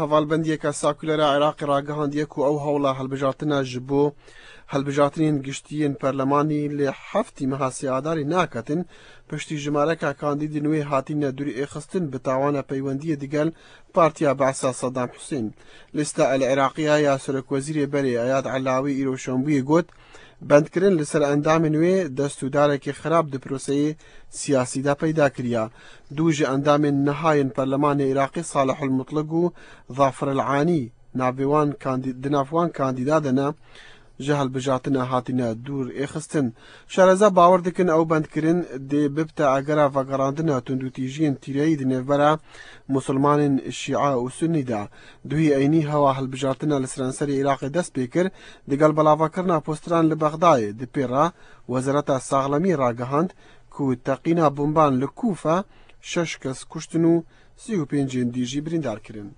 Hevalbendiyeke Sakulera Iraqê ragihandiye ku ew hewla hilbijartina ji bo hilbijartinên giştî yên perlemanî li heftî meha sê Adarê naketin, piştî jimareka kandîdên wê hatîne dûrêxistin bi tawana peywendiyê digel Partiya Be'sa Sedam Husên. Lîsta El Iraqiya ya Serokwezîrê berê Eyad Elawî îro şanbûyê got, Bendkirin li ser endamên wê destûdarekî xerab di proseyê siyasî de peyda kiriye. Du ji endamên niha yên Perlemanê Iraqê Salih El Mutlig û Zafir El Anî navê wan di nav wan kandîda de ne ji hilbijartina hatine dûr êxistin. Şareza bawer dikin ew bendkirin dê bibte egera vegerandina tundûtîjiyên tîreyî di nêvbera Musulmanên Şîa û Sunnî de. Duhî eynî hewa hilbijartina li seranserê Iraqê dest pê kir, digel belavakirina posteran li Bexdayê, di pê re Wezareta Saxlemiyê ragihand ku teqîna bomban li Kûfe şeş kes kuştin û 35 ên dî jî birîndar kirin.